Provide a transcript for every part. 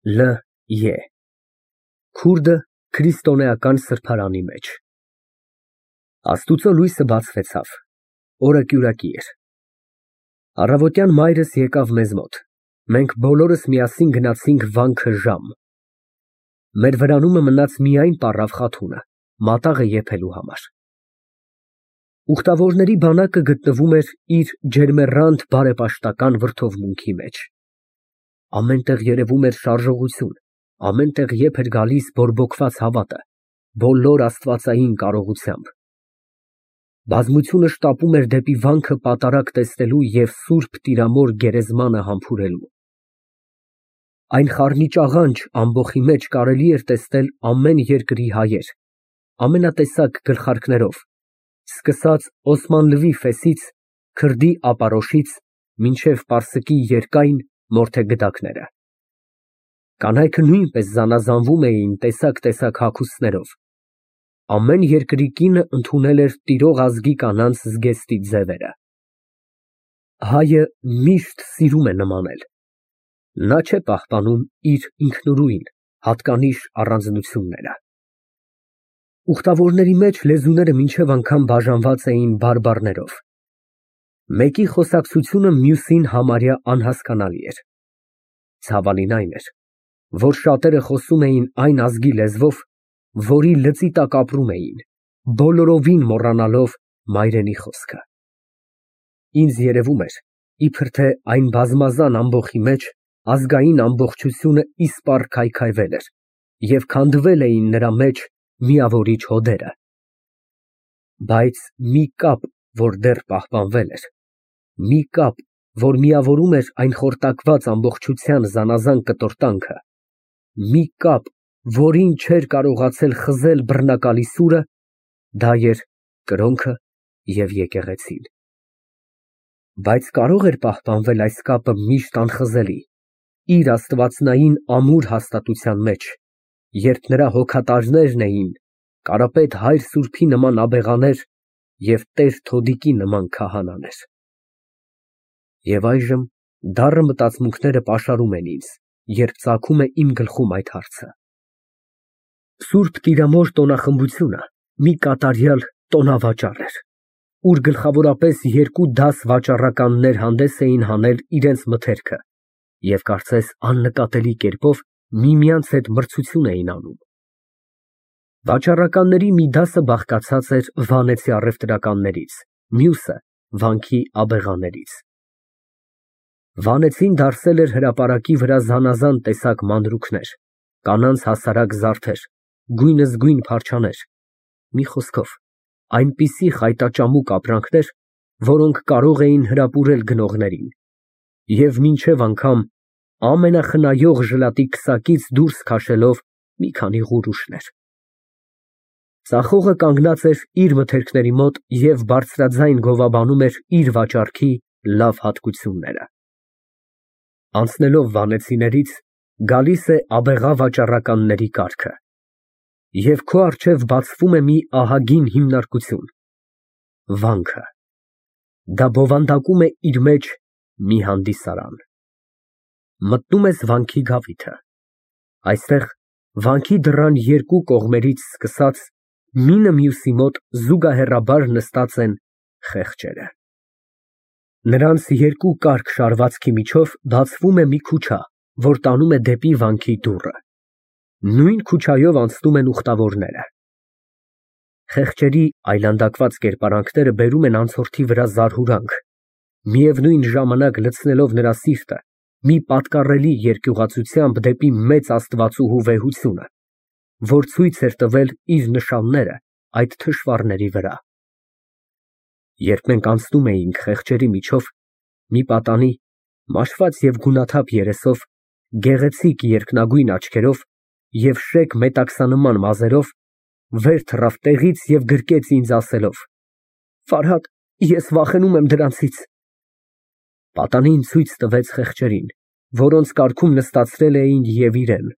Լ. Ե. Քուրդը քրիստոնեական սրբարանի մեջ։ Աստուծո լույսը բացվեցավ, օրը կյուրակի էր։ Առավոտյան մայրս եկավ մեզ մոտ, մենք բոլորս միասին գնացինք վանքը ժամ։ Մեր վրանումը մնաց միայն պառավ Խաթունը, մատաղը եփելու համար։ Ուխտավորների բանակը գտնվում էր իր ջերմեռանդ բարեպաշտական վրդովմունքի մեջ։ Ամեն տեղ երևում էր շարժողություն, ամեն տեղ եփ էր գալիս բորբոքված հավատը, բոլոր աստվածային կարողությամբ։ Բազմությունը շտապում էր դեպի վանքը պատարագ տեսնելու և սուրբ տիրամոր գերեզմանը համբուրելու։ Այն խառնիճ աղանջ ամբոխի մեջ կարելի էր տեսնել ամեն երկրի հայեր, ամենատեսակ գլխարկներով, սկսած Օսմանլվի ֆեսից, քրդի ապարոշից, մինչև պարսկի երկայն մորթե գդակները։ Կանայքը նույնպես զանազանվում էին տեսակ հագուստներով։ Ամեն երկրի կինը ընդունել էր տիրող ազգի կանանց զգեստի ձևերը։ Հայը միշտ սիրում է նմանել։ Նա չէ պահպանում իր ինքնուրույն, հատկանիշ առանձնությունները։ Ուխտավորների մեջ լեզուները մինչև անգամ բաժանված էին բարբառներով։ Մեկի խոսակցությունը մյուսին համարյա անհասկանալի էր։ Ցավալին այն էր, որ շատերը խոսում էին այն ազգի լեզվով, որի լծի տակ ապրում էին, բոլորովին մոռանալով մայրենի խոսքը։ Ինձ երևում էր, իբր թե այն բազմազան ամբոխի մեջ ազգային ամբողջությունը իսպառ քայքայվել էր և քանդվել էին նրա մեջ միավորիչ հոդերը։ Բայց մի կապ, որ դեռ պահպանվել էր, մի կապ, որ միավորում էր այն խորտակված ամբողջության զանազան կտորտանքը, մի կապ, որին չէր կարողացել խզել բռնակալի սուրը, դա էր կրոնքը և եկեղեցին։ Բայց կարող էր պահպանվել այս կապը միշտ անխզելի, իր աստվածնային ամուր հաստատության մեջ, երբ նրա հոգատարներն էին Կարապետ հայր սուրբի նման աբեղաներ և Տեր Թոդիկի նման քահանաներ։ Եվ այժմ դառը մտածմունքները պաշարում են ինձ, երբ ծագում է իմ գլխում այդ հարցը։ Սուրբ Տիրամոր տոնախմբությունը մի կատարյալ տոնավաճառ էր, ուր գլխավորապես երկու դաս վաճառականներ հանդես էին հանել իրենց մթերքը և կարծես աննկատելի կերպով միմյանց հետ մրցություն էին անում։ Վաճառականների մի դասը բաղկացած էր վանեցի առևտրականներից, մյուսը վանքի աբեղաներից։ Վանեցին դարսել էր հրապարակի վրա զանազան տեսակ մանրուքներ, կանանց հասարակ զարդեր, գույնզգույն փարչաներ, մի խոսքով, այնպիսի խայտաճամուկ ապրանքներ, որոնք կարող էին հրապուրել գնողներին և մինչև անգամ ամենախնայող ժլատի քսակից դուրս քաշելով մի քանի ղուրուշներ։ Ծախողը կանգնած էր իր մթերքների մոտ և բարձրաձայն գովաբանում էր իր վաճառքի լավ հատկությունները։ Անցնելով վանեցիներից, գալիս է աբեղա վաճառականների կարգը, և քո առջև բացվում է մի ահագին հիմնարկություն՝ վանքը։ Դա բովանդակում է իր մեջ մի հանդիսարան։ Մտնում ես վանքի գավիթը։ Այստեղ վանքի դռան երկու կողմերից սկսած մինը մյուսի մոտ զուգահեռաբար նստած են խեղճերը։ Նրանց երկու կարճ շարվածքի միջով բացվում է մի քուչա, որ տանում է դեպի վանքի դուռը։ Նույն քուչայով անցնում են ուխտավորները։ Խեղճերի այլանդակված կերպարանքները բերում են անցորդի վրա զարհուրանք, միևնույն ժամանակ լցնելով նրա սիրտը մի պատկառելի երկյուղածությամբ դեպի մեծ Աստվածուհու վեհությունը, որ ցույց էր տվել իր նշանները այդ թշվառների վրա։ Երբ մենք անցնում էինք խեղճերի միջով, մի պատանի, մաշված և գունաթափ երեսով, գեղեցիկ երկնագույն աչքերով և շեկ մետաքսանման մազերով, վեր թռավ տեղից և գրկեց ինձ ասելով. «Ֆարհադ, ես վախենում եմ դրանցից»։ Պատանին ցույց տվեց խեղճերին, որոնց կարգում նստացրել էին և իրեն։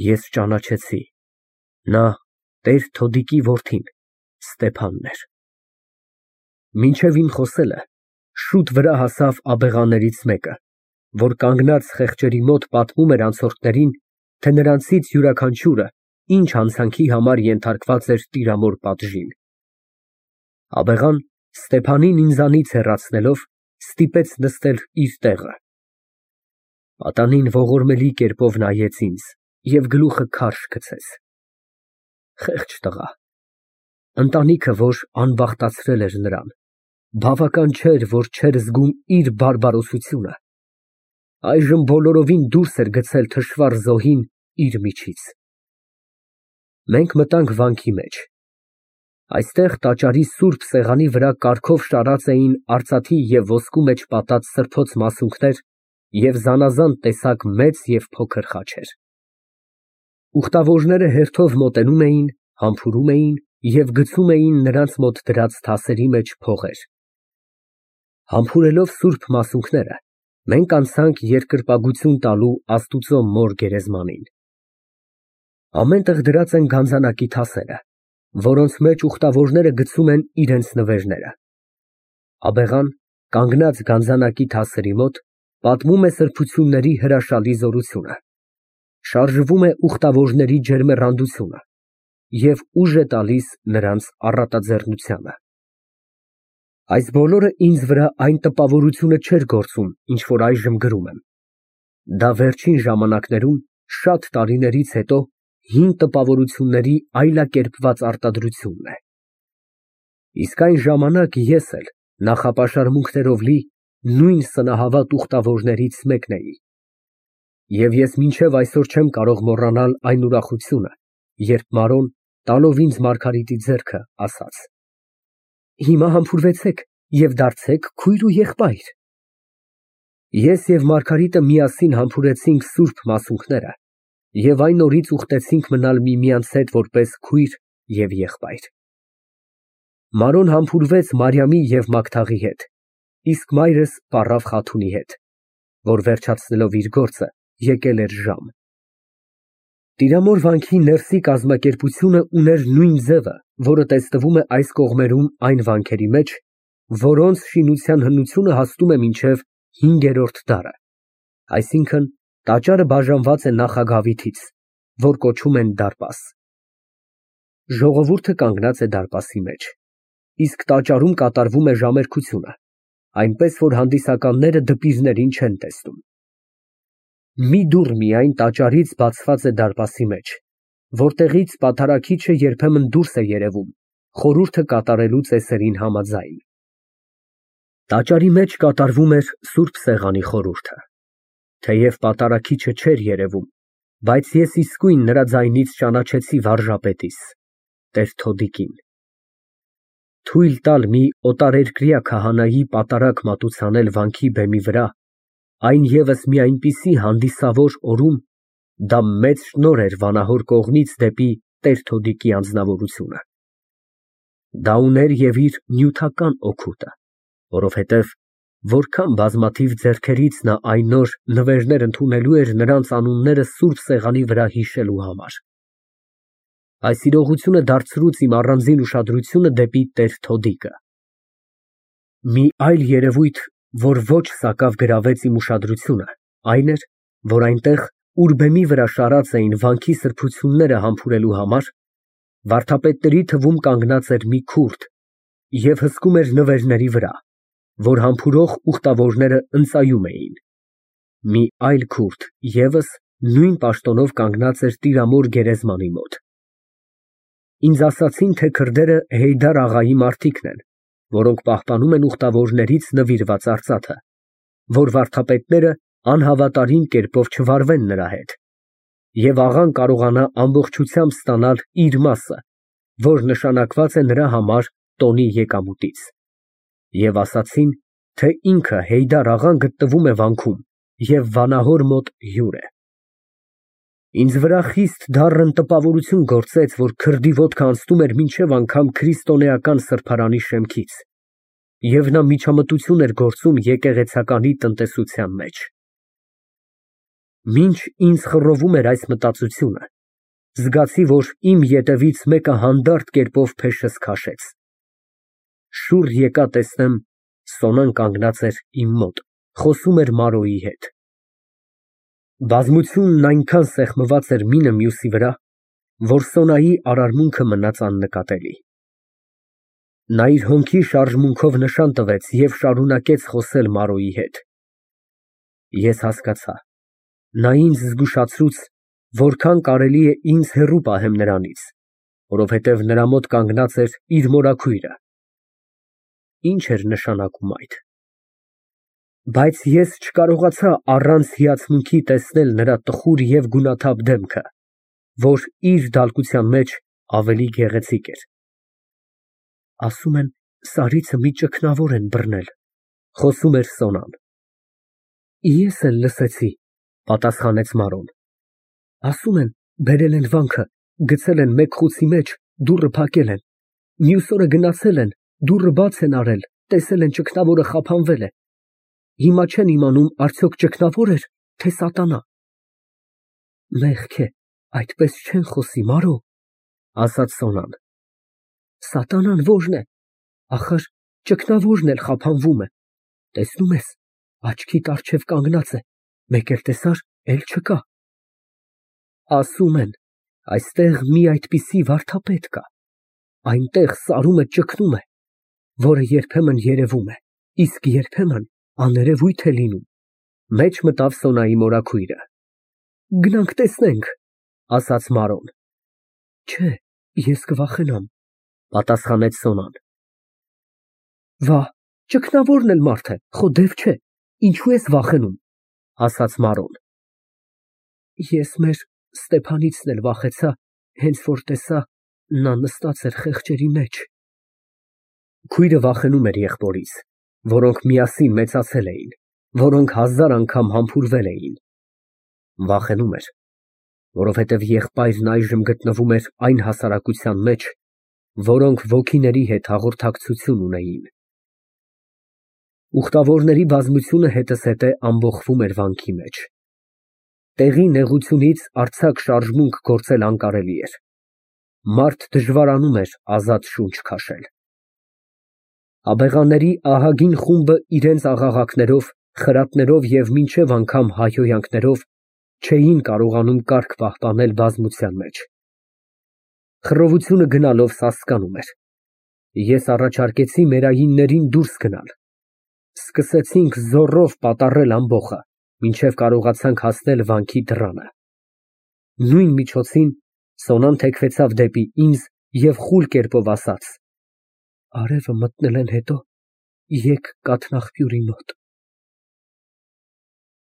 Ես ճանաչեցի, նա Տեր Թոդիկի որդին Ստեփանն էր։ Մինչև իմ խոսելը շուտ վրա հասավ աբեղաներից մեկը, որ կանգնած խեղճերի մոտ պատմում էր անցորդներին, թե նրանցից յուրաքանչյուրը ինչ հանցանքի համար ենթարկված էր տիրամոր պատժին։ Աբեղան Ստեփանին ինձանից հեռացնելով, ստիպեց նստել իր տեղը։ Պատանին ողորմելի կերպով նայեց ինձ և գլուխը քարշ գցեց։ Խեղճ տղա, ընտանիքը, որ անբախտացրել էր նրան, բավական չէր, որ չէր զգում իր բարբարոսությունը, այժմ բոլորովին դուրս էր գցել թշվառ զոհին իր միջից։ Մենք մտանք վանքի մեջ։ Այստեղ տաճարի սուրբ սեղանի վրա կարգով շարած էին արծաթի և ոսկու մեջ պատած սրբոց մասունքներ և զանազան տեսակ մեծ և փոքր խաչեր։ Ուխտավորները հերթով մոտենում էին, համբուրում էին և գցում էին նրանց մոտ դրած թասերի մեջ փողեր։ Համբուրելով սուրբ մասունքները, մենք անցանք երկրպագություն տալու Աստուծո մոր գերեզմանին։ Ամեն տեղ դրած են գանձանակի թասերը, որոնց մեջ ուխտավորները գցում են իրենց նվերները։ Աբեղան, կանգնած գանձանակի թասերի մոտ, պատմում է սրբությունների հրաշալի զորությունը, շարժվում է ուխտավորների ջերմեռանդությունը և ուժ է տալիս նրանց առատաձեռնությանը։ Այս բոլորը ինձ վրա այն տպավորությունը չէր գործում, ինչ որ այժմ գրում եմ։ Դա վերջին ժամանակներում, շատ տարիներից հետո, հին տպավորությունների այլակերպված արտադրությունն է։ Իսկ այն ժամանակ ես էլ, նախապաշարմունքներով լի, նույն սնահավատ ուխտավորներից մեկն էի։ Եվ ես մինչև այսօր չեմ կարող մոռանալ այն ուրախությունը, երբ Մարոն, տալով ինձ Մարգարիտի ձեռքը, ասաց. «Հիմա համբուրվեցեք և դարձեք քույր ու եղբայր»։ Ես և Մարգարիտը միասին համբուրեցինք սուրբ մասունքները և այն օրից ուխտեցինք մնալ միմյանց հետ որպես քույր և եղբայր։ Մարոն համբուրվեց Մարիամի և Մագդաղի հետ, իսկ մայրս պառավ Խաթունի հետ, որ վերջացնելով իր գործը, եկել էր ժամ։ Տիրամոր վանքի ներսի կազմակերպությունը ուներ նույն ձևը, որը տեսնվում է այս կողմերում այն վանքերի մեջ, որոնց շինության հնությունը հասնում է մինչև հինգերորդ դարը, այսինքն տաճարը բաժանված է նախագավիթից, որ կոչում են դարպաս։ Ժողովուրդը կանգնած է դարպասի մեջ, իսկ տաճարում կատարվում է ժամերկությունը, այնպես որ հանդիսականները դպիրներին չեն տեսնում։ Մի դուռ միայն տաճարից բացված է դարպասի մեջ, որտեղից պատարագիչը երբեմն դուրս է երևում, խորհուրդը կատարելու ծեսերին համաձայն։ Տաճարի մեջ կատարվում էր սուրբ սեղանի խորհուրդը։ Թեև պատարագիչը չէր երևում, բայց ես իսկույն նրա ձայնից ճանաչեցի վարժապետիս, տեր Թոդիկին։ Թույլ տալ մի օտարերկրյա քահանայի պատարագ մատուցանել վանքի բեմի վրա, այն ևս մի այնպիսի հանդիսավոր օրում, դա մեծ շնորհ էր վանահոր կողմից դեպի տեր Թոդիկի անձնավորությունը։ Դա ուներ և իր նյութական օգուտը, որովհետև որքան բազմաթիվ ձեռքերից նա այն օր նվերներ ընդունելու էր նրանց անունները սուրբ սեղանի վրա հիշելու համար։ Այս իրողությունը դարձրուց իմ առանձին ուշադրությունը դեպի տեր Թոդիկը։ Մի այլ երևույթ, որ ոչ սակավ գրավեց իմ ուշադրությունը, այն էր, որ այնտեղ, ուր բեմի վրա շարած էին վանքի սրբությունները համբուրելու համար, վարդապետների թվում կանգնած էր մի քուրդ և հսկում էր նվերների վրա, որ համբուրող ուխտավորները ընծայում էին։ Մի այլ քուրդ ևս նույն պաշտոնով կանգնած էր տիրամոր գերեզմանի մոտ։ Ինձ ասացին, թե քրդերը Հեյդար աղայի մարդիկն են, որոնք պահպանում են ուխտավորներից նվիրված արծաթը, որ վարդապետները անհավատարիմ կերպով չվարվեն նրա հետ, և աղան կարողանա ամբողջությամբ ստանալ իր մասը, որ նշանակված է նրա համար տոնի եկամուտից։ Եվ ասացին, թե ինքը Հեյդար աղան գտնվում է վանքում և վանահոր մոտ հյուր է։ Ինձ վրա խիստ դառն տպավորություն գործեց, որ քրդի ոտքը անցնում էր մինչև անգամ քրիստոնեական սրբարանի շեմքից, և նա միջամտություն էր գործում եկեղեցականի տնտեսության մեջ։ Մինչ ինձ խռովում էր այս մտածությունը, զգացի, որ իմ ետևից մեկը հանդարտ կերպով փեշս քաշեց։ Շուռ եկա տեսնեմ, Սոնան կանգնած էր իմ մոտ, խոսում էր Մարոյի հետ։ Բազմությունն այնքան սեղմված էր մինը մյուսի վրա, որ Սոնայի արարմունքը մնաց աննկատելի։ Նա իր հոնքի շարժմունքով նշան տվեց և շարունակեց խոսել Մարոյի հետ։ Ես հասկացա, նա ինձ զգուշացրուց, որքան կարելի է ինձ հեռու պահեմ նրանից, որովհետև նրա մոտ կանգնած էր իր մորաքույրը։ Ի՞նչ էր նշանակում այդ։ Բայց ես չկարողացա առանց հիացմունքի տեսնել նրա տխուր և գունաթափ դեմքը, որ իր դալկության մեջ ավելի գեղեցիկ էր։ Ասում են, սարիցը մի ճգնավոր են բռնել, խոսում էր Սոնան։ Ես էլ լսեցի, պատասխանեց Մարոն։ Ասում են, բերել են վանքը, գցել են մեկ խուցի մեջ, դուռը փակել են։ Մյուս օրը գնացել են, դուռը բաց են արել, տեսել են ճգնավորը խափանվել է։ Հիմա չեն իմանում արդյոք ճգնավոր էր, թե սատանա։ Մեղք է, այդպես չեն խոսի, Մարո, ասաց Սոնան։ Սատանան ո՞րն է, ախր ճգնավորն էլ խափանվում է, տեսնում ես, աչքիդ առջև կանգնած է, մեկ էլ տեսար, էլ չկա։ Ասում են, այստեղ մի այդպիսի վարդապետ կա, այնտեղ սարումը ճգնում է, որը երբեմն երևում է, իսկ երբեմն աներևույթ է լինում։ Մեջ մտավ Սոնայի մորաքույրը։ Գնանք տեսնենք, ասաց Մարոն։ Չէ, ես կվախենամ, պատասխանեց Սոնան։ Վա, ճգնավորն էլ մարդ է, խո դև չէ, ինչու ես վախենում, ասաց Մարոն։ Ես մեր Ստեփանիցն էլ վախեցա, հենց որ տեսա, նա նստած էր խեղճերի մեջ։ Քույրը վախենում էր եղբորից, որոնք միասին մեծացել էին, որոնք 1000 անգամ համբուրվել էին։ Վախենում էր, որովհետև եղբայրն այժմ գտնվում էր այն հասարակության մեջ, որոնք ոգիների հետ հաղորդակցություն ունեին։ Ուխտավորների բազմությունը հետզհետե ամբոխվում էր վանքի մեջ։ Տեղի նեղությունից արձակ շարժմունք գործել անկարելի էր։ Մարդ դժվարանում էր ազատ շունչ քաշել։ Աբեղաների ահագին խումբը իրենց աղաղակներով, խրատներով և մինչև անգամ հայհոյանքներով չէին կարողանում կարգ պահպանել բազմության մեջ։ Խռովությունը գնալով սասկանում էր։ Ես առաջարկեցի մերայիններին դուրս գնալ։ Սկսեցինք զոռով պատառել ամբոխը, մինչև կարողացանք հասնել վանքի դռանը։ Նույն միջոցին Սոնան թեքվեցավ դեպի ինձ և խուլ կերպով ասաց. Արևը մտնել են հետո, եկ կաթնաղբյուրի մոտ։